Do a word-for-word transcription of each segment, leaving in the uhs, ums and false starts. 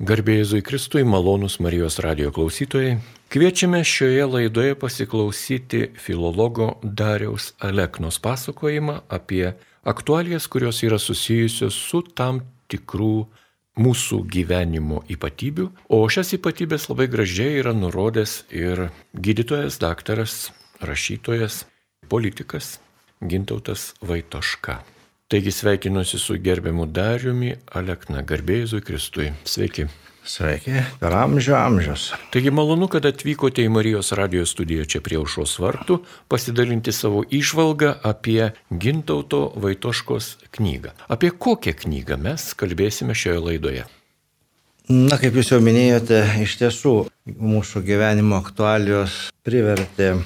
Garbė Jėzui Kristui, malonūs Marijos radijo klausytojai. Kviečiame šioje laidoje pasiklausyti filologo Dariaus Aleknos pasakojimą apie aktualijas, kurios yra susijusios su tam tikrų mūsų gyvenimo ypatybių. O šias ypatybės labai gražiai yra nurodęs ir gydytojas, daktaras, rašytojas, politikas Gintautas Vaitoška. Taigi sveikinuosi su gerbiamu Dariumi Alekna. Garbė Jėzui Kristui. Sveiki. Sveiki, per amžių amžius. Taigi malonu, kad atvykote į Marijos radijo studiją čia prie Aušros vartų pasidalinti savo įžvalgą apie Gintauto Vaitoškos knygą. Apie kokią knygą mes kalbėsime šioje laidoje? Na, kaip jūs jau minėjote, iš tiesų mūsų gyvenimo aktualijos privertė,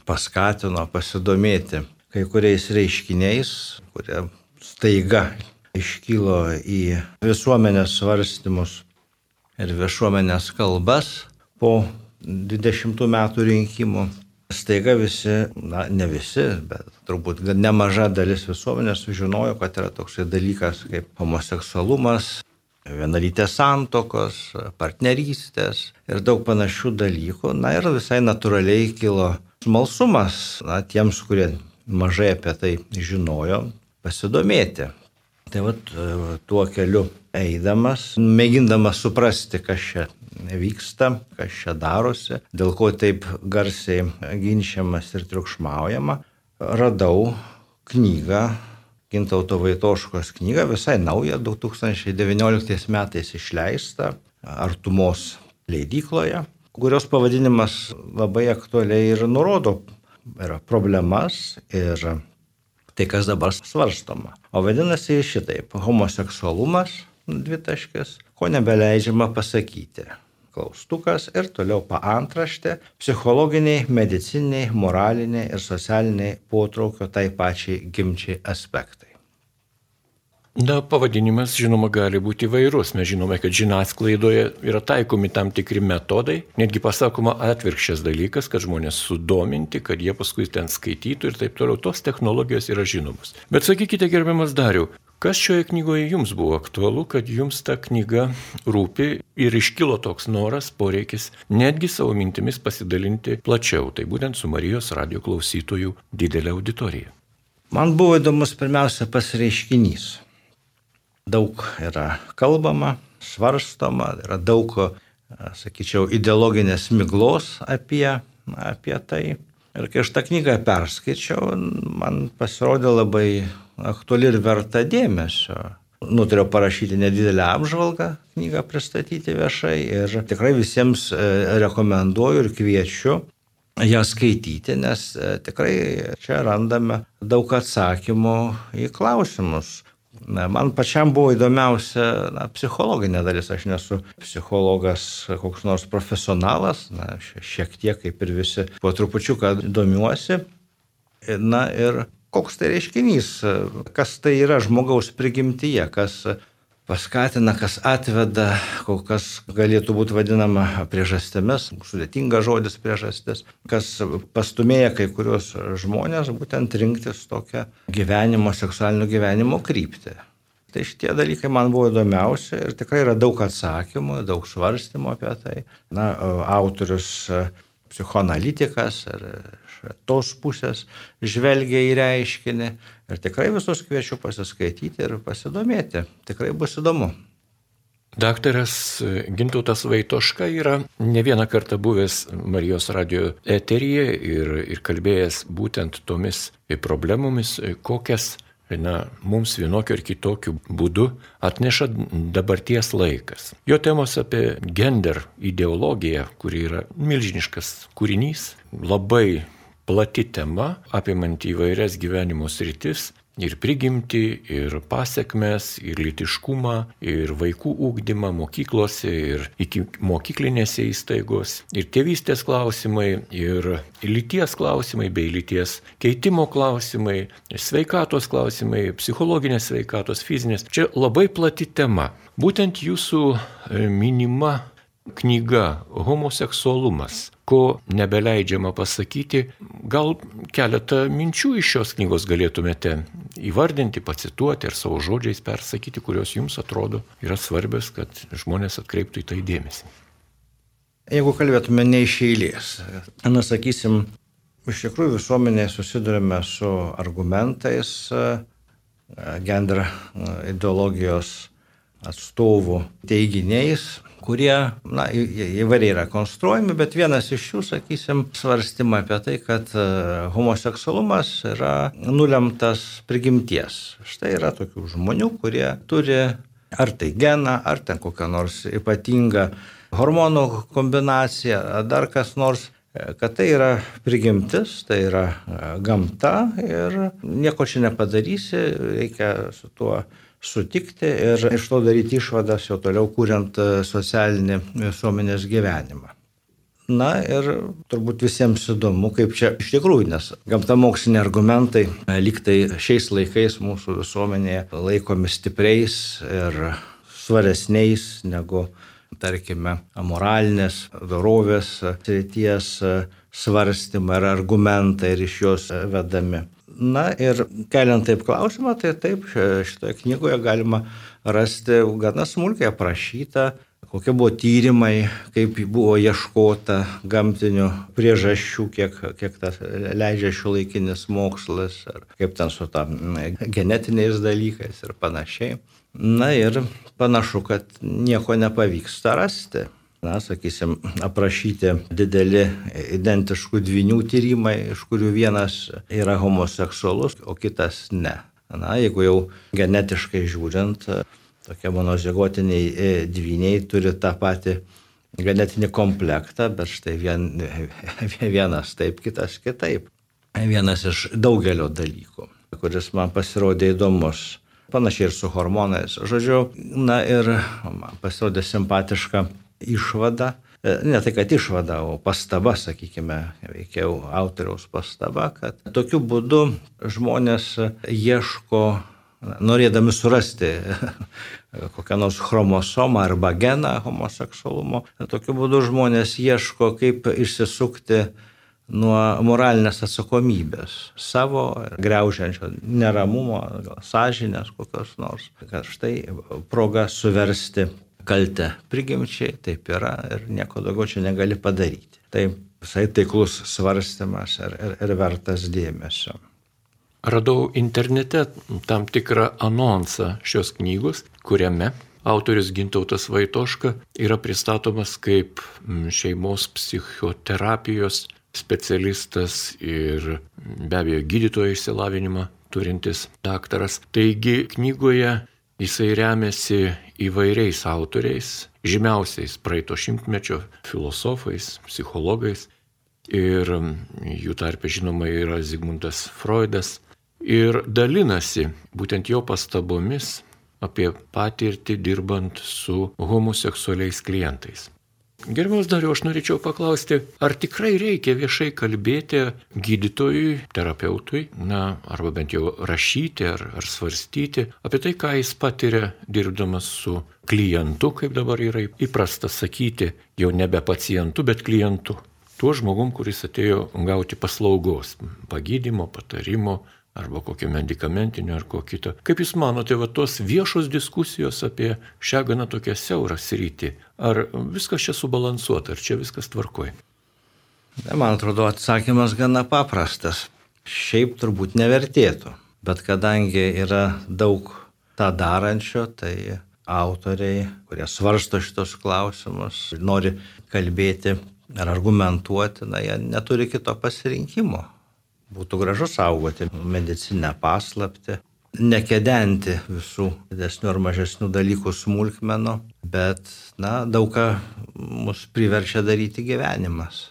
paskatino pasidomėti kai kuriais reiškiniais, kurie staiga iškilo į visuomenės svarstymus ir viešuomenės kalbas po dvidešimtų metų rinkimų. Staiga visi, na ne visi, bet turbūt nemaža dalis visuomenės sužinojo, kad yra toksai dalykas kaip homoseksualumas, vienalytės santuokos, partnerystės ir daug panašių dalykų. Na ir visai natūraliai kilo smalsumas, na, tiems, kurie mažai apie tai žinojo, pasidomėti. Tai vat tuo keliu eidamas, mėgindamas suprasti, kas čia vyksta, kas čia darosi, dėl ko taip garsiai ginčiamas ir triukšmaujama, radau knygą, Gintauto Vaitoškos knygą, visai naują, du tūkstančiai devynioliktais metais išleista Artumos leidykloje, kurios pavadinimas labai aktualiai ir nurodo yra problemas ir tai, kas dabar svarstoma. O vadinasi šitaip, homoseksualumas, dvitaškis, ko nebeleidžiama pasakyti. Klaustukas ir toliau paantraštė, psichologiniai, medicininiai, moraliniai ir socialiniai potraukio tai pačiai gimčiai aspektai. Na, pavadinimas, žinoma, gali būti įvairus. Mes žinome, kad žiniasklaidoje yra taikomi tam tikri metodai, netgi pasakoma atvirkščias dalykas, kad žmonės sudominti, kad jie paskui ten skaitytų ir taip toliau. Tos technologijos yra žinomos. Bet sakykite, gerbiamas Dariau, kas šioje knygoje jums buvo aktualu, kad jums ta knyga rūpi ir iškilo toks noras, poreikis netgi savo mintimis pasidalinti plačiau, tai būtent su Marijos radijo klausytojų didelė auditorija? Man buvo įdomus pirmiausia pasireiškinys. Daug yra kalbama, svarstoma, yra daug, sakyčiau, ideologinės miglos apie, apie tai. Ir kai aš tą knygą perskaičiau, man pasirodė labai aktuali ir verta dėmesio. Nutariau parašyti nedidelę apžvalgą, knygą pristatyti viešai ir tikrai visiems rekomenduoju ir kviečiu ją skaityti, nes tikrai čia randame daug atsakymų į klausimus. Na, man pačiam buvo įdomiausia na, psichologinė dalis. Aš nesu psichologas koks nors profesionalas, na, šiek tiek kaip ir visi po trupučiuką domiuosi. Na ir koks tai reiškinys, kas tai yra žmogaus prigimtyje, kas paskatina, kas atveda, kas galėtų būti vadinama priežastėmis, sudėtingas žodis priežastis, kas pastumėja kai kurios žmonės būtent rinktis tokią gyvenimo, seksualinio gyvenimo kryptį. Tai šitie dalykai man buvo įdomiausia ir tikrai yra daug atsakymų, daug svarstymų apie tai. Na, autorius psichoanalitikas ir iš tos pusės žvelgia į reiškinį ir tikrai visus kviečiu pasiskaityti ir pasidomėti. Tikrai bus įdomu. Daktaras Gintautas Vaitoška yra ne vieną kartą buvęs Marijos radijo eteryje ir, ir kalbėjęs būtent tomis problemomis, kokias na, mums vienokio ir kitokiu būdu atneša dabarties laikas. Jo temos apie gender ideologiją, kuri yra milžiniškas kūrinys, labai plati tema, apimanti įvairias gyvenimo sritis, ir prigimtį, ir pasiekmes, ir lytiškumą, ir vaikų ugdymą mokyklose, ir iki mokyklinėse įstaigos, ir tėvystės klausimai, ir lyties klausimai, bei lyties keitimo klausimai, sveikatos klausimai, psichologinės sveikatos, fizinės. Čia labai plati tema. Būtent jūsų minima knyga Homoseksualumas, ko nebeleidžiama pasakyti. Gal keletą minčių iš šios knygos galėtumėte įvardinti, pacituoti ir savo žodžiais persakyti, kurios jums atrodo yra svarbios, kad žmonės atkreiptų į tai dėmesį. Jeigu kalbėtume ne iš eilės, na, sakysim, iš tikrųjų visuomenėje susidurime su argumentais gender ideologijos atstovų teiginiais, kurie, na, įvairiai yra konstruojami, bet vienas iš jų, sakysim, svarstymą apie tai, kad homoseksualumas yra nulemtas prigimties. Štai yra tokių žmonių, kurie turi ar tai geną, ar ten kokią nors ypatingą hormonų kombinaciją, ar dar kas nors, kad tai yra prigimtis, tai yra gamta ir nieko čia nepadarysi, reikia su tuo sutikti ir iš to daryti išvadas jau toliau kuriant socialinį visuomenės gyvenimą. Na ir turbūt visiems įdomu, kaip čia iš tikrųjų, nes gamtamoksliniai argumentai lygtai šiais laikais mūsų visuomenėje laikomi stipriais ir svaresniais negu, tarkime, moralinės dorovės srities svarstymai ar argumentai ir iš jos vedami. Na ir keliant taip klausimą, tai taip šitoje knygoje galima rasti gana smulkiai aprašyta, kokie buvo tyrimai, kaip buvo ieškota gamtinių priežasčių, kiek, kiek tas leidžia šiuolaikinis mokslas, ar kaip ten su ta genetiniais dalykais ir panašiai. Na ir panašu, kad nieko nepavyksta rasti. Na, sakysim, aprašyti dideli identiškų dvynių tyrimai, iš kurių vienas yra homoseksualus, o kitas ne. Na, jeigu jau genetiškai žiūrint, tokie monozigotiniai dvyniai turi tą patį genetinį komplektą, bet štai vien, vienas taip, kitas kitaip. Vienas iš daugelio dalykų, kuris man pasirodė įdomus. Panašiai ir su hormonais. Žodžiu, na ir man pasirodė simpatiška išvada, ne tai kad išvada, o pastaba, sakykime, veikiau autoriaus pastaba, kad tokiu būdu žmonės ieško, norėdami surasti kokią nors chromosomą arba geną homoseksualumo, tokiu būdu žmonės ieško, kaip išsisukti nuo moralinės atsakomybės savo, griaužiančio neramumo, sąžinės kokios nors, kad štai proga suversti kaltę prigimčiai, taip yra ir nieko daugiau čia negali padaryti. Tai visai taiklus svarstymas ir, ir, ir vertas dėmesio. Radau internete tam tikrą anonsą šios knygos, kuriame autorius Gintautas Vaitoška yra pristatomas kaip šeimos psichoterapijos specialistas ir be abejo gydytojo išsilavinimą turintis daktaras. Taigi knygoje jisai remiasi įvairiais autoriais, žymiausiais praeito šimtmečio filosofais, psichologais ir jų tarpe žinoma yra Zigmundas Freudas ir dalinasi būtent jo pastabomis apie patirtį dirbant su homoseksualiais klientais. Gerbiamas Dariau, aš norėčiau paklausti, ar tikrai reikia viešai kalbėti gydytojui, terapeutui, na, arba bent jau rašyti ar, ar svarstyti apie tai, ką jis patiria dirbdamas su klientu, kaip dabar yra įprasta sakyti, jau nebe pacientu, bet klientu. Tuo žmogum, kuris atėjo gauti paslaugos, pagydymo, patarimo, arba kokio medikamentinio ar ko kito. Kaip Jūs manote, va tos viešos diskusijos apie šią gana tokią siaurą sritį, ar viskas čia subalansuota, ar čia viskas tvarkoj? Man atrodo, atsakymas gana paprastas. Šiaip turbūt nevertėtų, bet kadangi yra daug tą darančio, tai autoriai, kurie svarsto šitos klausimus, nori kalbėti ar argumentuoti, na, jie neturi kito pasirinkimo. Būtų gražu saugoti medicinę paslaptį, nekedenti visų didesnių ar mažesnių dalykų smulkmenų, bet, na, daug ką mus priverčia daryti gyvenimas.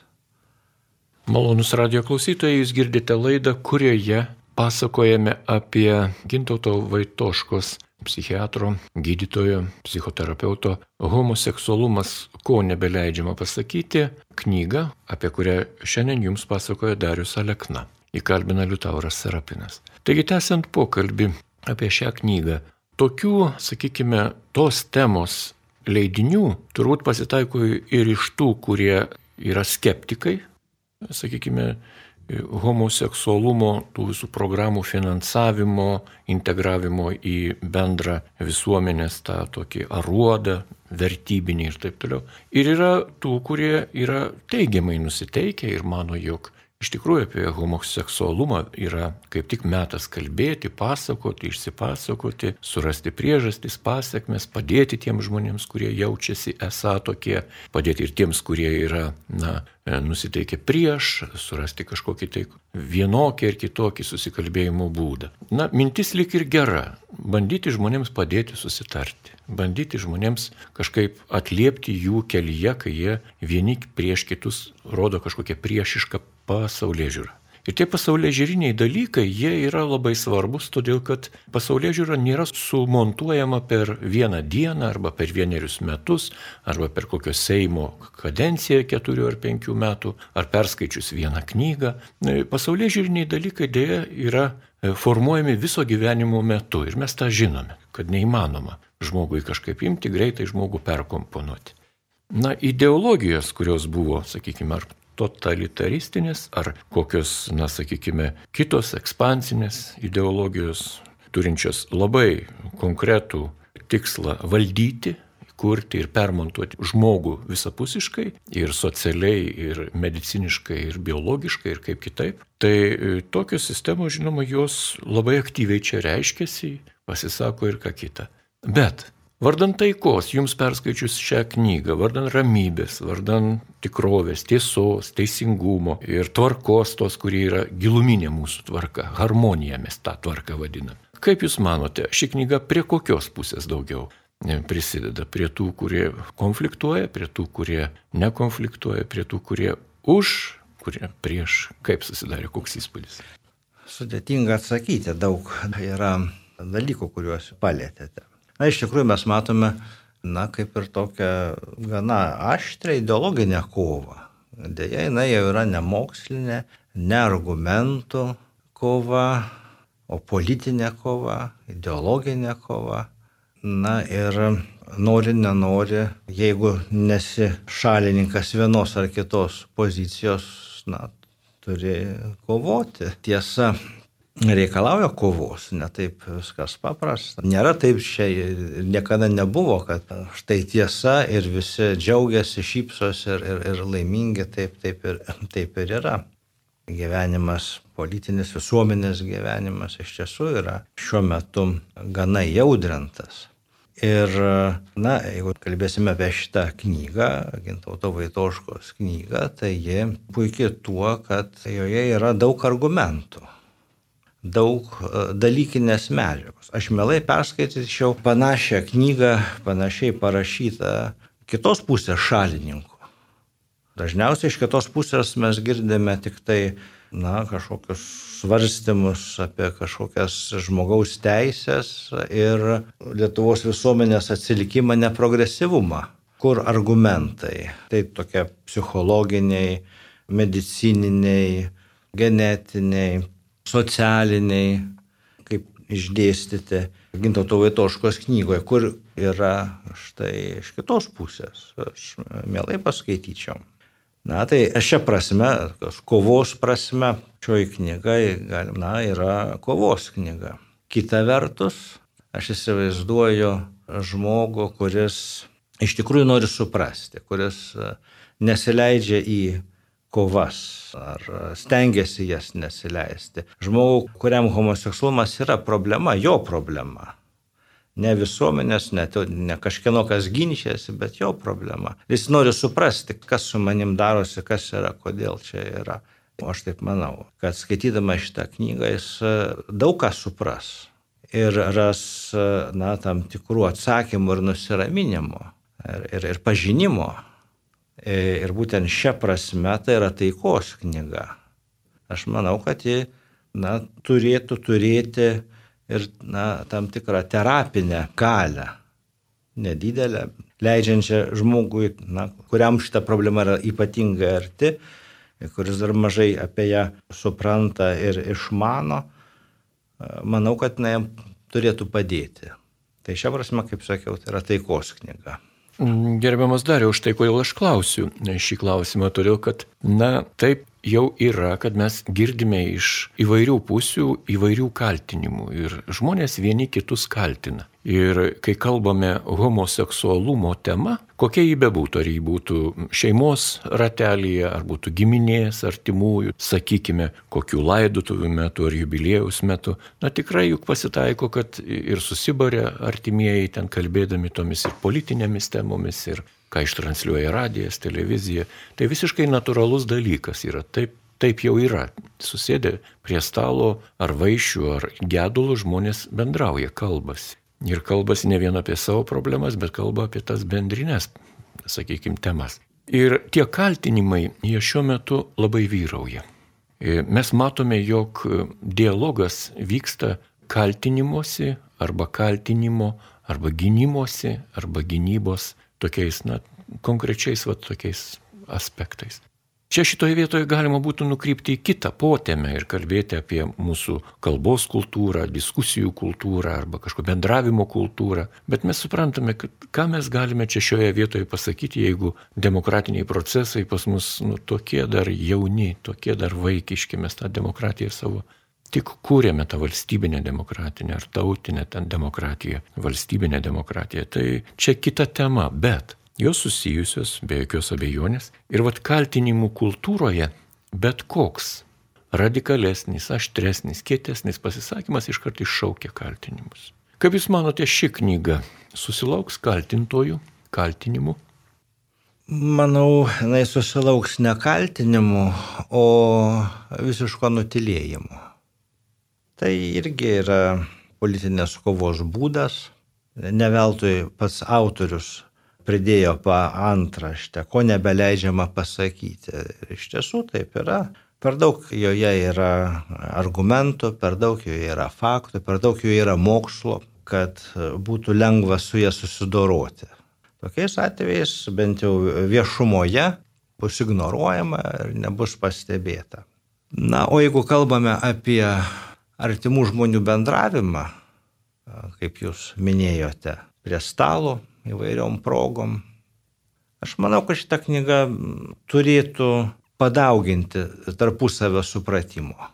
Malonus radijo klausytojai, jūs girdite laidą, kurioje pasakojame apie Gintauto Vaitoškos, psichiatro, gydytojo, psichoterapeuto Homoseksualumas, ko nebeleidžiama pasakyti, knygą, apie kurią šiandien jums pasakoja Darius Alekna. Įkalbina Liutauras Serapinas. Taigi, tęsiant pokalbį apie šią knygą, tokių, sakykime, tos temos leidinių turbūt pasitaiko ir iš tų, kurie yra skeptikai, sakykime, homoseksualumo, tų visų programų finansavimo, integravimo į bendrą visuomenės tą tokį aruodą, vertybinį ir taip toliau. Ir yra tų, kurie yra teigiamai nusiteikę ir mano, jog iš tikrųjų apie homoseksualumą yra kaip tik metas kalbėti, pasakoti, išsipasakoti, surasti priežastis, pasiekmes, padėti tiems žmonėms, kurie jaučiasi esą tokie, padėti ir tiems, kurie yra, na, nusiteikę prieš, surasti kažkokį tai vienokį ir kitokį susikalbėjimo būdą. Na, mintis lyg ir gera, bandyti žmonėms padėti susitarti, bandyti žmonėms kažkaip atliepti jų kelyje, kai jie vieni prieš kitus rodo kažkokią priešišką pasaulėžiūrą. Ir tie pasaulėžiūriniai dalykai, jie yra labai svarbus, todėl kad pasaulėžiūra nėra sumontuojama per vieną dieną arba per vienerius metus arba per kokio Seimo kadenciją keturių ar penkių metų ar perskaičius vieną knygą. Pasaulėžiūriniai dalykai dėja yra formuojami viso gyvenimo metu ir mes tą žinome, kad neįmanoma žmogui kažkaip imti, greitai žmogų perkomponuoti. Na, ideologijos, kurios buvo, sakykime, ar totalitaristinės, ar kokios, na, sakykime, kitos ekspansinės ideologijos, turinčios labai konkretų tikslą valdyti, kurti ir permontuoti žmogų visapusiškai, ir socialiai, ir mediciniškai, ir biologiškai, ir kaip kitaip. Tai tokios sistemos, žinoma, jos labai aktyviai čia reiškiasi, pasisako ir ką kita. Bet vardan taikos, jums perskaičius šią knygą, vardan ramybės, vardan tikrovės, tiesos, teisingumo ir tvarkos tos, kurie yra giluminė mūsų tvarka, harmonija mes tą tvarką vadiname. Kaip jūs manote, ši knyga prie kokios pusės daugiau prisideda? Prie tų, kurie konfliktuoja, prie tų, kurie nekonfliktuoja, prie tų, kurie už, kurie prieš? Kaip susidarė, koks įspūdis? Sudėtinga atsakyti, daug yra dalykų, kuriuos palėtėte. Na, iš tikrųjų mes matome, na, kaip ir tokią gana aštrią ideologinę kovą. Deja, jinai jau yra ne mokslinė, ne argumentų kova, o politinė kova, ideologinė kova. Na ir nori, nenori, jeigu nesi šalininkas vienos ar kitos pozicijos, na, turi kovoti. Tiesa, reikalauja kovos, ne taip viskas paprasta. Nėra taip, čia niekada nebuvo, kad štai tiesa ir visi džiaugiasi, šypsos ir, ir, ir laimingi, taip, taip, ir, taip ir yra. Gyvenimas, politinis visuomenės gyvenimas iš tiesų yra šiuo metu gana jaudrintas. Ir, na, jeigu kalbėsime apie šitą knygą, Gintauto Vaitoškos knygą, tai ji puikiai tuo, kad joje yra daug argumentų, daug dalykinės medžiagos. Aš mielai perskaityčiau panašią knygą, panašiai parašytą kitos pusės šalininkų. Dažniausiai iš kitos pusės mes girdime tik tai, na, kažkokius svarstymus apie kažkokias žmogaus teisės ir Lietuvos visuomenės atsilikimą, neprogresyvumą. Kur argumentai? Tai tokie psichologiniai, medicininiai, genetiniai, socialiniai, kaip išdėstyti Gintauto Vaitoškos knygoje, kur yra štai iš kitos pusės. Aš mielai paskaityčiau. Na, tai šią prasme, kovos prasme, šioji knyga, na, yra kovos knyga. Kita vertus, aš įsivaizduoju žmogų, kuris iš tikrųjų nori suprasti, kuris nesileidžia į kovas ar stengiasi jas nesileisti. Žmogų, kuriam homoseksualumas yra problema, jo problema. Ne visuomenės, ne, ne kažkieno kas ginčiasi, bet jo problema. Jis nori suprasti, kas su manim darosi, kas yra, kodėl čia yra. O aš taip manau, kad skaitydama šitą knygą jis daug ką supras ir ras, na, tam tikrų atsakymų ir nusiraminimo ir, ir, ir pažinimo. Ir būtent šią prasme tai yra taikos knyga. Aš manau, kad ji, na, turėtų turėti ir, na, tam tikrą terapinę galią, nedidelę, leidžiančią žmogui, na, kuriam šita problema yra ypatingai arti, kuris dar mažai apie ją supranta ir išmano, manau, kad na, jam turėtų padėti. Tai šią prasme, kaip sakiau, tai yra taikos knyga. Gerbiamas Dariau, už tai, kodėl aš klausiu šį klausimą, todėl kad, na, taip jau yra, kad mes girdime iš įvairių pusių įvairių kaltinimų ir žmonės vieni kitus kaltina. Ir kai kalbame homoseksualumo tema, kokia jį bebūtų, ar jį būtų šeimos ratelyje, ar būtų giminės, artimųjų, sakykime, kokių laidotuvių metu ar jubiliejaus metu, na tikrai juk pasitaiko, kad ir susibarė artimieji ten kalbėdami tomis ir politinėmis temomis, ir ką ištransliuoja radijas, televizija. Tai visiškai natūralus dalykas yra. Taip, taip jau yra. Susėdę prie stalo ar vaišių, ar gedulų žmonės bendrauja, kalbasi. Ir kalbasi ne vien apie savo problemas, bet kalba apie tas bendrinės, sakykime, temas. Ir tie kaltinimai, jie šiuo metu labai vyrauja. Mes matome, jog dialogas vyksta kaltinimuose, arba kaltinimo, arba gynimosi, arba gynybos tokiais, na, konkrečiais va tokiais aspektais. Čia šitoje vietoje galima būtų nukrypti į kitą potėmę ir kalbėti apie mūsų kalbos kultūrą, diskusijų kultūrą arba kažko bendravimo kultūrą. Bet mes suprantame, kad ką mes galime čia šioje vietoje pasakyti, jeigu demokratiniai procesai pas mus nu, tokie dar jauni, tokie dar vaikiški, mes tą demokratiją savo tik kūrėme tą valstybinę demokratinę ar tautinę ten demokratiją, valstybinę demokratiją. Tai čia kita tema, bet jos susijusios, be jokios abejonės. Ir vat kaltinimų kultūroje bet koks radikalesnis, aštresnis, kietesnis pasisakymas iškart iššaukia kaltinimus. Kaip Jūs manote, ši knyga susilauks kaltintojų, kaltinimų? Manau, jinai susilauks ne kaltinimų, o visiško nutilėjimo. Tai irgi yra politinės kovos būdas. Ne veltui pats autorius pridėjo paantraštę, ko nebeleidžiama pasakyti. Iš tiesų taip yra. Per daug joje yra argumentų, per daug joje yra faktų, per daug joje yra mokslo, kad būtų lengva su jie susidoroti. Tokiais atvejais bent jau viešumoje bus ignoruojama ir nebus pastebėta. Na, o jeigu kalbame apie artimų žmonių bendravimą, kaip Jūs minėjote, prie stalo, įvairiom progom. Aš manau, kad šita knyga turėtų padauginti tarpusavio supratimo.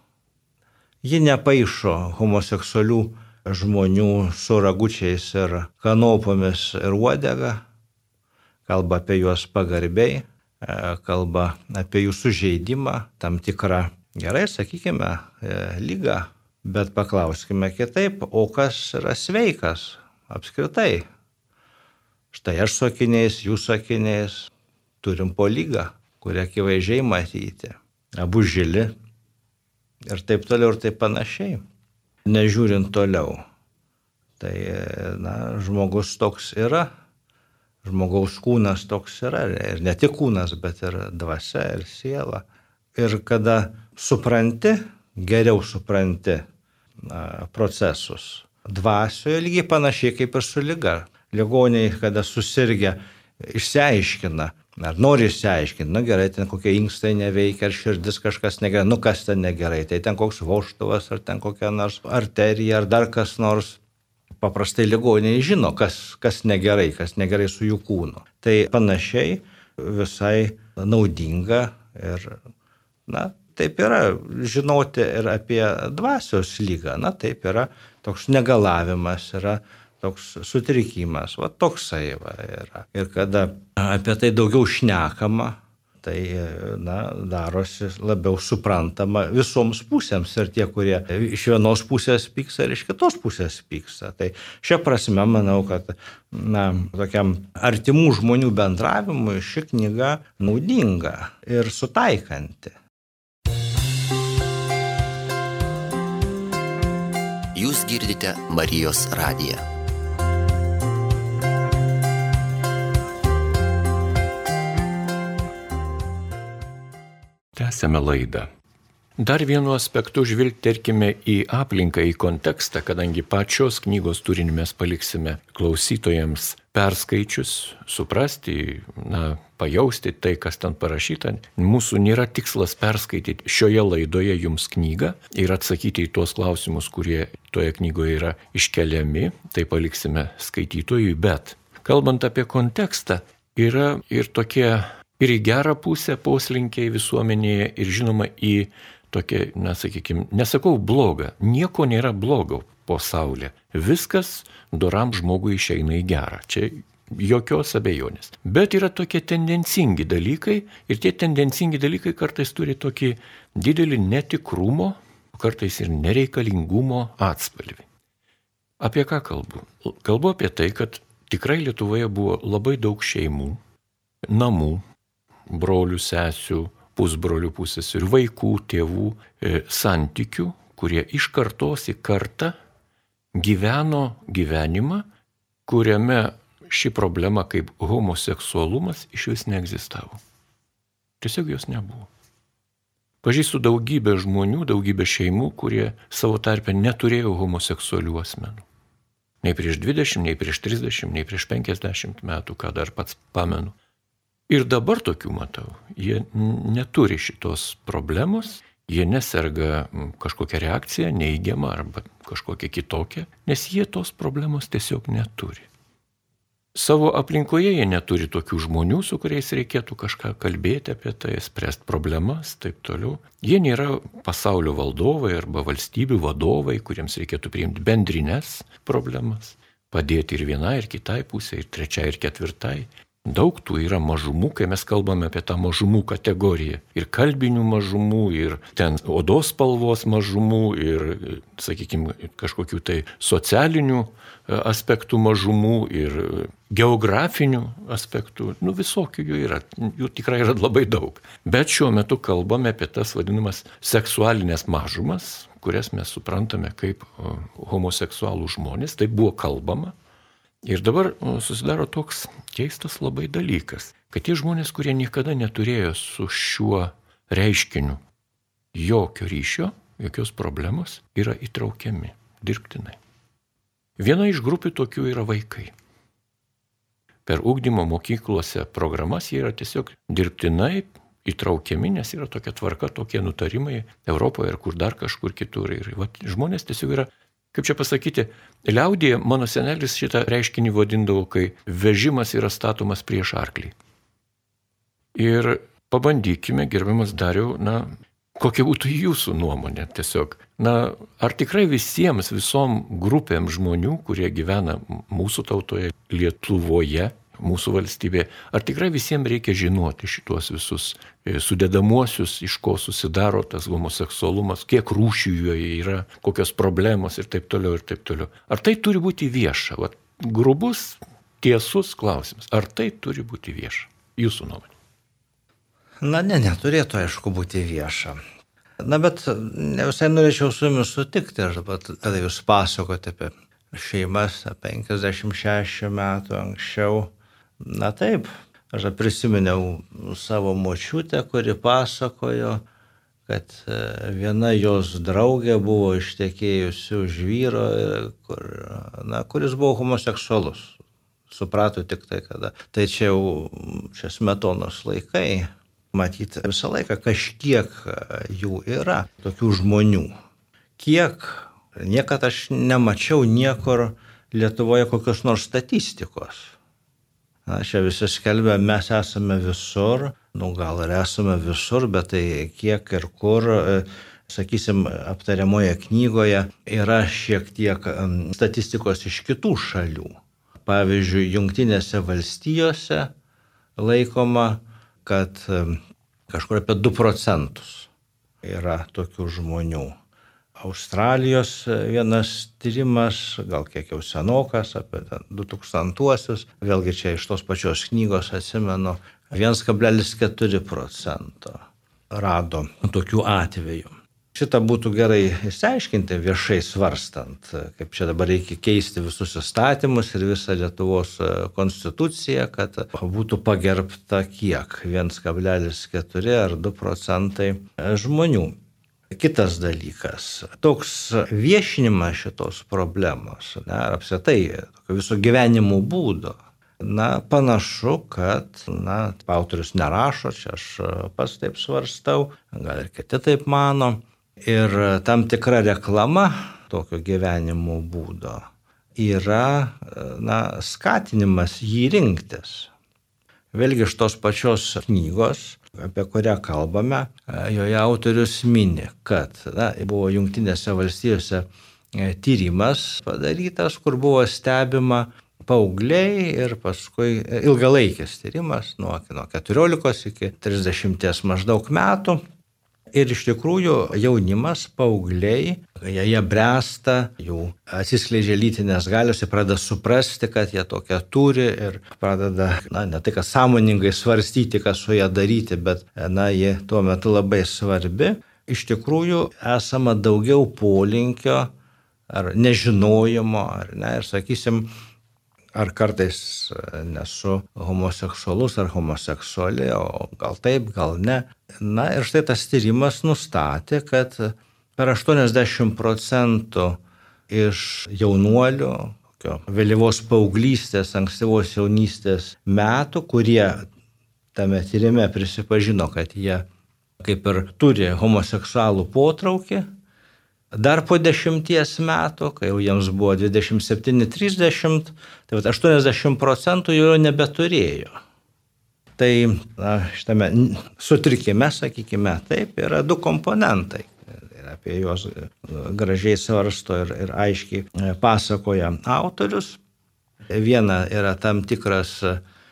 Ji nepaišo homoseksualių žmonių su ragučiais ir kanopomis ir uodega, kalba apie juos pagarbiai, kalba apie jų sužeidimą, tam tikrą, gerai, sakykime, ligą, bet paklauskime kitaip, o kas yra sveikas apskritai? Štai aš su akiniais, jūs su akiniais, turim po lygą, kurią akivaizdžiai matyti. Abu žili ir taip toliau ir taip panašiai. Nežiūrint toliau. Tai, na, žmogus toks yra, žmogaus kūnas toks yra. Ir ne tik kūnas, bet ir dvasia, ir siela. Ir kada supranti, geriau supranti na, procesus. Dvasioje lygiai panašiai kaip ir su lyga. Ligoniai, kada susirgia, išsiaiškina, ar nori išsiaiškinti, nu gerai, ten kokie inkstai neveikia, ar širdis kažkas negerai, nu kas ten negerai, tai ten koks vožtuvas, ar ten kokia nors arterija, ar dar kas nors. Paprastai ligoniai žino, kas, kas negerai, kas negerai su jų kūnu. Tai panašiai visai naudinga ir, na, taip yra žinoti ir apie dvasios lygą, na, taip yra toks negalavimas, yra toks sutrikimas, va toksai va yra. Ir kada apie tai daugiau šnekama, tai na, darosi labiau suprantama visoms pusėms ir tie, kurie iš vienos pusės pyksta ir iš kitos pusės pyksta. Tai šia prasme manau, kad na, tokiam artimų žmonių bendravimui ši knyga naudinga ir sutaikanti. Jūs girdite Marijos radiją. Tęsiame laidą. Dar vienu aspektu žvilgterkime į aplinką, į kontekstą, kadangi pačios knygos turinį mes paliksime klausytojams perskaičius, suprasti, na, pajausti tai, kas ten parašyta. Mūsų nėra tikslas perskaityti šioje laidoje jums knygą ir atsakyti į tuos klausimus, kurie toje knygoje yra iškeliami, tai paliksime skaitytojui, bet kalbant apie kontekstą, yra ir tokie, ir į gerą pusę poslinkiai visuomenėje, ir žinoma į tokia, na, sakykime, nesakau blogą, nieko nėra blogo pasaulyje. Viskas doram žmogui išeina į gerą. Čia jokios abejonės. Bet yra tokie tendencingi dalykai ir tie tendencingi dalykai kartais turi tokį didelį netikrumo, kartais ir nereikalingumo atspalvį. Apie ką kalbu? Kalbu apie tai, kad tikrai Lietuvoje buvo labai daug šeimų, namų, brolių, sesių, pusbrolių, pusseserų, vaikų, tėvų, e, santykių, kurie iš kartos į kartą gyveno gyvenimą, kuriame ši problema kaip homoseksualumas iš vis neegzistavo. Tiesiog jos nebuvo. Pažįstu daugybę žmonių, daugybę šeimų, kurie savo tarpe neturėjo homoseksualių asmenų. Nei prieš dvidešimt, nei prieš trisdešimt, nei prieš penkiasdešimt metų, ką dar pats pamenu. Ir dabar tokių matau. Jie neturi šitos problemos, jie neserga kažkokią reakciją, neigiamą arba kažkokią kitokią, nes jie tos problemos tiesiog neturi. Savo aplinkoje jie neturi tokių žmonių, su kuriais reikėtų kažką kalbėti apie tai, spręsti problemas, taip toliau. Jie nėra pasaulio valdovai arba valstybių vadovai, kuriems reikėtų priimti bendrines problemas, padėti ir vienai, ir kitai pusė, ir trečiai, ir ketvirtai. Daug tų yra mažumų, kai mes kalbame apie tą mažumų kategoriją. Ir kalbinių mažumų, ir ten odos spalvos mažumų, ir, sakykime, kažkokių tai socialinių aspektų mažumų, ir geografinių aspektų. Nu, visokių jų yra. Jų tikrai yra labai daug. Bet šiuo metu kalbame apie tas vadinamas seksualinės mažumas, kurias mes suprantame kaip homoseksualų žmonės. Tai buvo kalbama. Ir dabar susidaro toks keistas labai dalykas, kad tie žmonės, kurie niekada neturėjo su šiuo reiškiniu jokio ryšio, jokios problemos, yra įtraukiami dirbtinai. Viena iš grupių tokių yra vaikai. Per ugdymo mokyklose programas jie yra tiesiog dirbtinai įtraukiami, nes yra tokia tvarka, tokie nutarimai Europoje ir kur dar kažkur kitur. Ir va, žmonės tiesiog yra, kaip čia pasakyti, liaudyje mano senelis šitą reiškinį vadindavo, kai vežimas yra statomas prieš arklį. Ir pabandykime, gerbiamas Dariau, na, kokia būtų jūsų nuomonė tiesiog. Na, ar tikrai visiems, visom grupėm žmonių, kurie gyvena mūsų tautoje, Lietuvoje, mūsų valstybėje, ar tikrai visiems reikia žinoti šitos visus sudedamuosius, iš ko susidaro tas homoseksualumas, kiek rūšių joje yra, kokios problemos ir taip toliau ir taip toliau. Ar tai turi būti vieša? Vat, grubus, tiesus klausimas. Ar tai turi būti vieša? Jūsų nuomonė. Na, ne, neturėtų, aišku, būti vieša. Na, bet ne visai norėčiau su jumis sutikti, aš dabar, kada jūs pasakote apie šeimas penkiasdešimt šešių metų anksčiau. Na taip, aš prisiminiau savo močiutę, kuri pasakojo, kad viena jos draugė buvo ištekėjusi už vyro, kur, na, kuris buvo homoseksualus. Suprato tik tai, kada. Tai čia jau čia Smetonos laikai. Matyti visą laiką kažkiek jų yra, tokių žmonių. Kiek, niekad aš nemačiau niekur Lietuvoje kokios nors statistikos. Na, čia visi skelbia, mes esame visur, nu gal ir esame visur, bet tai kiek ir kur, sakysim, aptariamoje knygoje yra šiek tiek statistikos iš kitų šalių. Pavyzdžiui, Jungtinėse valstijose laikoma, kad kažkur apie du procentus yra tokių žmonių. Australijos vienas tyrimas, gal kiek jau senokas, apie du tūkstantuosius, vėlgi čia iš tos pačios knygos atsimenu, vienas kablelis keturi procento rado tokių atvejų. Šitą būtų gerai išsiaiškinti viešai svarstant, kaip čia dabar reikia keisti visus įstatymus ir visą Lietuvos konstituciją, kad būtų pagerbta kiek, vienas kablelis keturi ar du procentai žmonių. Kitas dalykas, toks viešinimas šitos problemos, ne, ar apskritai viso gyvenimo būdo, na, panašu, kad, na, autorius nerašo, čia aš pats taip svarstau, gal ir kiti taip mano, ir tam tikra reklama tokio gyvenimo būdo yra na, skatinimas jį rinktis. Vėlgi iš tos pačios knygos, apie kurią kalbame, joje autorius mini, kad na, buvo Jungtinėse valstijose tyrimas padarytas, kur buvo stebima paaugliai ir paskui ilgalaikis tyrimas nuo, nuo keturiolikos iki trisdešimties maždaug metų. Ir iš tikrųjų jaunimas, paaugliai, jie, jie bręsta, jų atsiskleidžia lytinės galios, jie pradeda suprasti, kad jie tokią turi ir pradeda, na, ne tai, kad sąmoningai svarstyti, ką su ją daryti, bet, na, jie tuo metu labai svarbi. Iš tikrųjų, esama daugiau polinkio ar nežinojimo, ar ne, ir sakysim, ar kartais nesu homoseksualus ar homoseksuali, o gal taip, gal ne. Na ir štai tas tyrimas nustatė, kad per aštuoniasdešimt procentų iš jaunuolių, vėlyvos paauglystės, ankstyvos jaunystės metų, kurie tame tyrime prisipažino, kad jie kaip ir turi homoseksualų potraukį, dar po dešimties metų, kai jau jiems buvo dvidešimt septyni trisdešimt, tai aštuoniasdešimt procentų jau nebeturėjo. Tai na, šitame sutrikime, sakykime, taip, yra du komponentai. Ir apie juos gražiai svarsto ir, ir aiškiai pasakoja autorius. Viena yra tam tikras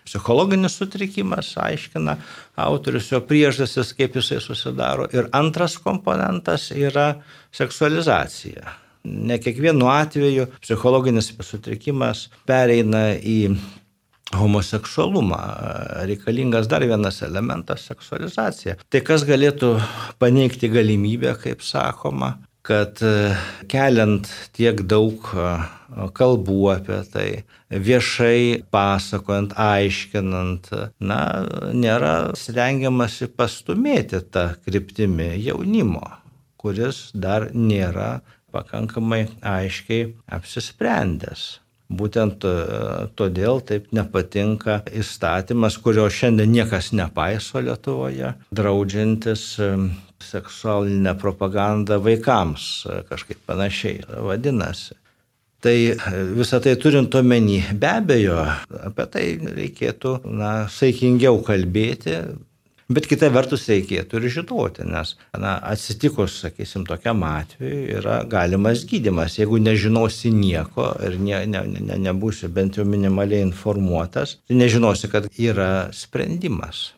psichologinis sutrikimas, aiškina autorius jo priežastis, kaip jisai susidaro. Ir antras komponentas yra seksualizacija. Ne kiekvienu atveju psichologinis sutrikimas pereina į homoseksualumą. Reikalingas dar vienas elementas - seksualizacija. Tai kas galėtų paneigti galimybę, kaip sakoma, kad keliant tiek daug kalbų apie tai, viešai pasakojant, aiškinant, na, nėra stengiamasi pastumėti tą kryptimį jaunimo, kuris dar nėra pakankamai aiškiai apsisprendęs. Būtent todėl taip nepatinka įstatymas, kurio šiandien niekas nepaiso Lietuvoje, draudžiantis seksualinę propagandą vaikams, kažkaip panašiai vadinasi. Tai visą tai turint omeny, be abejo, apie tai reikėtų na, saikingiau kalbėti, bet kita vertus reikėtų ir žinoti, nes na, atsitikus, sakysim, tokiam atveju yra galimas gydymas. Jeigu nežinosi nieko ir ne, ne, ne, nebūsi bent jau minimaliai informuotas, tai nežinosi, kad yra sprendimas.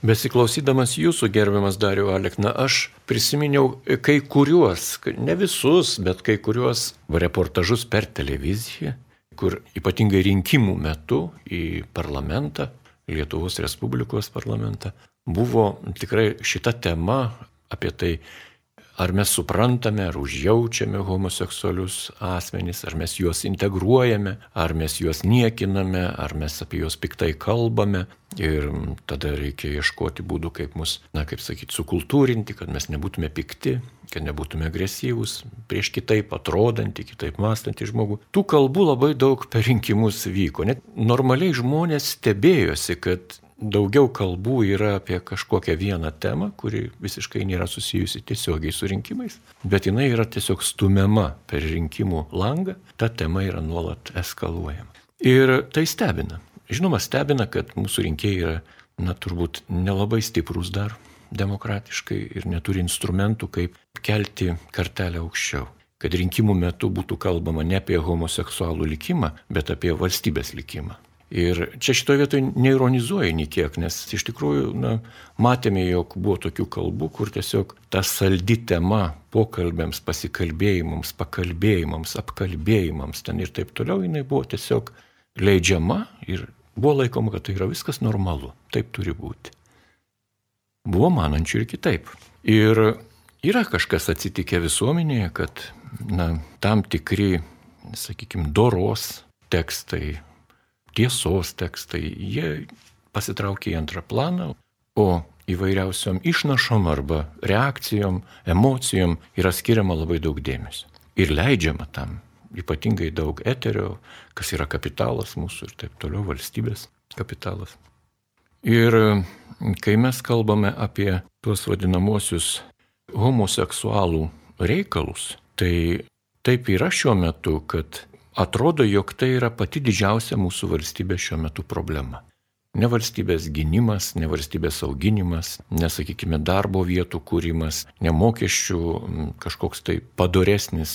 Besiklausydamas jūsų, gerbiamas Dariau Alekna, aš prisiminiau kai kuriuos, ne visus, bet kai kuriuos reportažus per televiziją, kur ypatingai rinkimų metu į parlamentą, Lietuvos Respublikos parlamentą, buvo tikrai šita tema apie tai, ar mes suprantame, ar užjaučiame homoseksualius asmenys, ar mes juos integruojame, ar mes juos niekiname, ar mes apie juos piktai kalbame. Ir tada reikia ieškoti būdų, kaip mus, na, kaip sakyti, sukultūrinti, kad mes nebūtume pikti, kad nebūtume agresyvūs prieš kitaip atrodantį, kitaip mąstantį žmogų. Tų kalbų labai daug per rinkimus vyko. Net normaliai žmonės stebėjosi, kad daugiau kalbų yra apie kažkokią vieną temą, kuri visiškai nėra susijusi tiesiogiai su rinkimais, bet jinai yra tiesiog stumiama per rinkimų langą, ta tema yra nuolat eskaluojama. Ir tai stebina. Žinoma, stebina, kad mūsų rinkėjai yra, na, turbūt nelabai stiprus dar demokratiškai ir neturi instrumentų, kaip kelti kartelę aukščiau. Kad rinkimų metu būtų kalbama ne apie homoseksualų likimą, bet apie valstybės likimą. Ir čia šitoje vietoje neironizuoja nei kiek, nes iš tikrųjų na, matėme, jog buvo tokių kalbų, kur tiesiog ta saldi tema pokalbėms, pasikalbėjimams, pakalbėjimams, apkalbėjimams ten ir taip toliau, jinai buvo tiesiog leidžiama ir buvo laikoma, kad tai yra viskas normalu, taip turi būti. Buvo manančių ir kitaip. Ir yra kažkas atsitikę visuomenėje, kad na, tam tikri, sakykime, doros tekstai, tiesos tekstai, jie pasitraukia į antrą planą, o įvairiausiom išnašom arba reakcijom, emocijom yra skiriama labai daug dėmesio. Ir leidžiama tam ypatingai daug eterio, kas yra kapitalas mūsų ir taip toliau, valstybės kapitalas. Ir kai mes kalbame apie tuos vadinamosius homoseksualų reikalus, tai taip yra šiuo metu, kad atrodo, jog tai yra pati didžiausia mūsų valstybės šiuo metu problema. Ne valstybės gynimas, ne valstybės auginimas, nesakykime darbo vietų kūrimas, ne mokesčių kažkoks tai padoresnis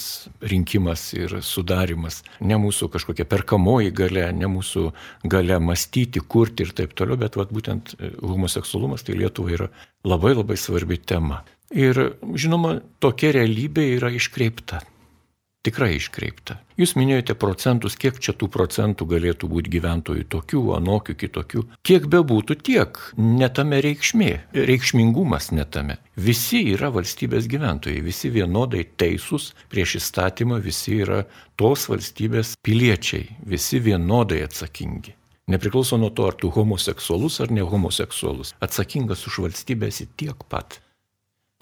rinkimas ir sudarimas, ne mūsų kažkokia perkamoji galia, ne mūsų galia mąstyti, kurti ir taip toliau, bet vat, būtent homoseksualumas tai Lietuvai yra labai labai svarbi tema. Ir žinoma, tokia realybė yra iškreipta. Tikrai iškreipta. Jūs minėjote procentus, kiek čia tų procentų galėtų būti gyventojų tokių, anokių, kitokių. Kiek bebūtų tiek, netame reikšmė, reikšmingumas netame. Visi yra valstybės gyventojai, visi vienodai teisūs prieš įstatymą, visi yra tos valstybės piliečiai, visi vienodai atsakingi. Nepriklauso nuo to, ar tu homoseksualus ar ne homoseksualus. Atsakingas už valstybę esi tiek pat.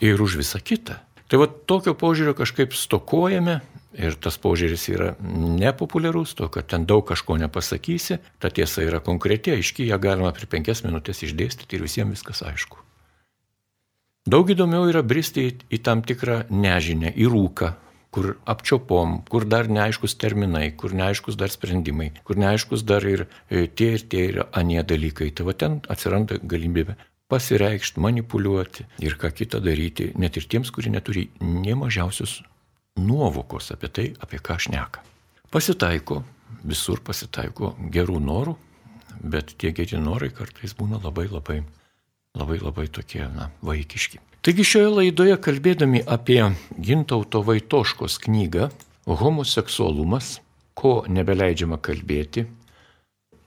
Ir už visą kitą. Tai va tokio požiūrio kažkaip stokojame. Ir tas požiūris yra nepopuliarus, to, kad ten daug kažko nepasakysi, ta tiesa yra konkreti, aiški, ją galima per penkias minutės išdėstyti ir visiems viskas aišku. Daug įdomiau yra bristi į, į tam tikrą nežinę, į rūką, kur apčiopom, kur dar neaiškus terminai, kur neaiškus dar sprendimai, kur neaiškus dar ir tie ir tie ir anie dalykai. Tai va ten atsiranda galimybė pasireikšti, manipuliuoti ir ką kitą daryti, net ir tiems, kurie neturi nė mažiausius nuovokos apie tai, apie ką šneka. Pasitaiko, visur pasitaiko gerų norų, bet tie geri norai kartais būna labai labai, labai labai tokie, na, vaikiški. Taigi šioje laidoje kalbėdami apie Gintauto Vaitoškos knygą Homoseksualumas, ko nebeleidžiama kalbėti,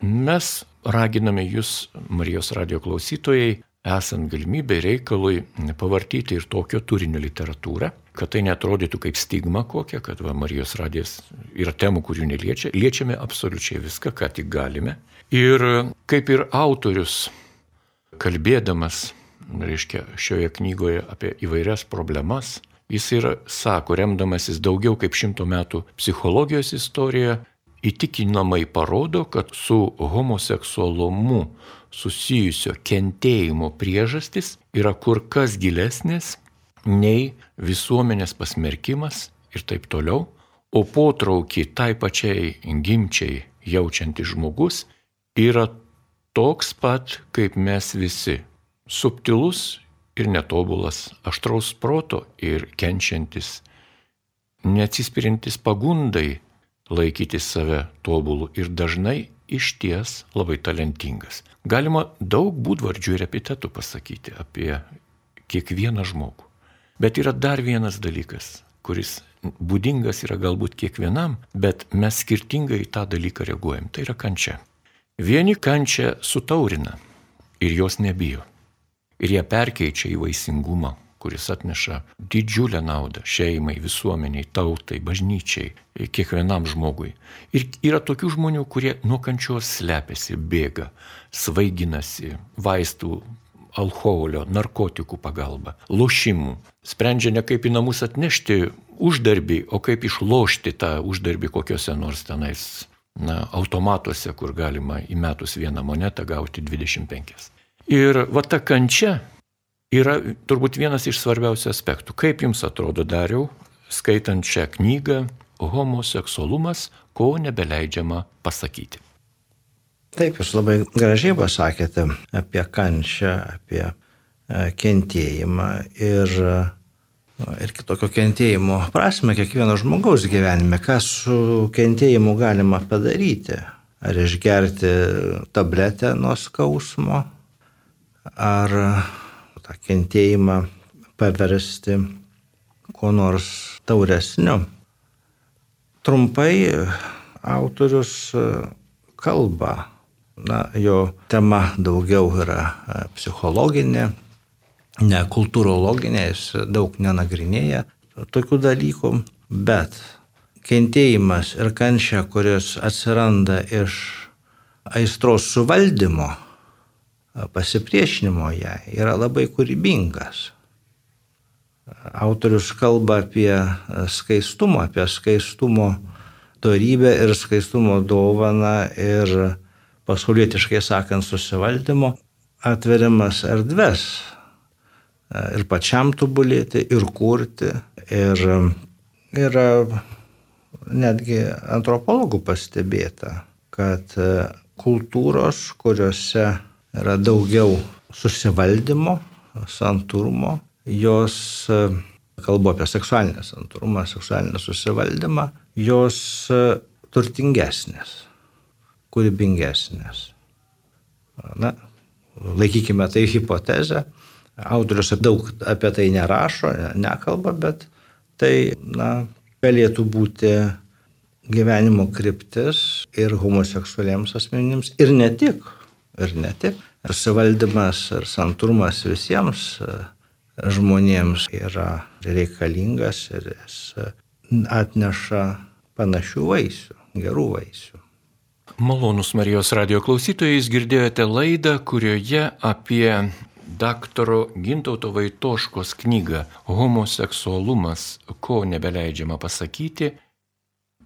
mes raginame jūs, Marijos radijo klausytojai, esant galimybė reikalui pavartyti ir tokio turinio literatūrą, kad tai neatrodytų kaip stigma kokia, kad va, Marijos radijas yra temų, kurių neliečia. Liečiame absoliučiai viską, ką tik galime. Ir kaip ir autorius, kalbėdamas, reiškia, šioje knygoje apie įvairias problemas, jis ir sako, remdamasis daugiau kaip šimto metų psichologijos istoriją, įtikinamai parodo, kad su homoseksualumu susijusio kentėjimo priežastis yra kur kas gilesnės nei visuomenės pasmerkimas ir taip toliau, o potraukį tai pačiai gimčiai jaučiantis žmogus yra toks pat, kaip mes visi, subtilus ir netobulas, aštraus proto ir kenčiantis, neatsispirintis pagundai laikyti save tobulų ir dažnai išties labai talentingas. Galima daug būdvardžių ir epitetų pasakyti apie kiekvieną žmogų. Bet yra dar vienas dalykas, kuris būdingas yra galbūt kiekvienam, bet mes skirtingai į tą dalyką reaguojam. Tai yra kančia. Vieni kančią sutaurina ir jos nebijo. Ir ją perkeičia į vaisingumą, kuris atneša didžiulę naudą šeimai, visuomeniai, tautai, bažnyčiai, kiekvienam žmogui. Ir yra tokių žmonių, kurie nuo kančios slepiasi, bėga, svaiginasi, vaistų, alkoholio, narkotikų pagalba, lošimų. Sprendžia ne kaip į namus atnešti uždarbį, o kaip išlošti tą uždarbį kokiuose nors tenais na, automatuose, kur galima įmetus vieną monetą gauti dvidešimt penkias. Ir va ta kančia yra turbūt vienas iš svarbiausių aspektų. Kaip jums atrodo, Dariau, skaitant šią knygą Homoseksualumas, ko nebeleidžiama pasakyti? Taip, jūs labai gražiai pasakėte apie kančią, apie kentėjimą ir, ir kitokio kentėjimo prasme kiekvieno žmogaus gyvenime. Ką su kentėjimu galima padaryti? Ar išgerti tabletę nuo skausmo, ar tą kentėjimą paversti kuo nors tauresniu. Trumpai autorius kalba, na, jo tema daugiau yra psichologinė, ne kultūrologinė, jis daug nenagrinėja tokių dalykų, bet kentėjimas ir kančia, kuris atsiranda iš aistros suvaldymo, pasipriešinimo jai, yra labai kūrybingas. Autorius kalba apie skaistumą, apie skaistumo dorybę ir skaistumo dovaną ir pasaulietiškai sakant susivaldymo atveriamas erdves ir pačiam tobulėti, ir kurti. Ir yra netgi antropologų pastebėta, kad kultūros, kuriuose yra daugiau susivaldymo, santūrumo, jos, kalbu apie seksualinę santūrumą, seksualinę susivaldymą, jos turtingesnės, kūrybingesnės. Na, laikykime tai hipotezę. Autorius daug apie tai nerašo, nekalba, bet tai, na, galėtų būti gyvenimo kryptis ir homoseksualiems asmenims, ir ne tik, ir ne tik. Ir suvaldymas, ir santūrumas visiems žmonėms yra reikalingas ir jis atneša panašių vaisių, gerų vaisių. Malonūs Marijos radijo klausytojai, jūs girdėjote laidą, kurioje apie daktaro Gintauto Vaitoškos knygą Homoseksualumas, ko nebeleidžiama pasakyti,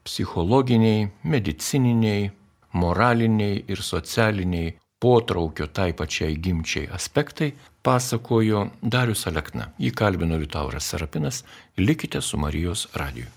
psichologiniai, medicininiai, moraliniai ir socialiniai potraukio tai pačiai gimčiai aspektai pasakojo Darius Alekna. Jį kalbino Liutauras Serapinas. Likite su Marijos radiju.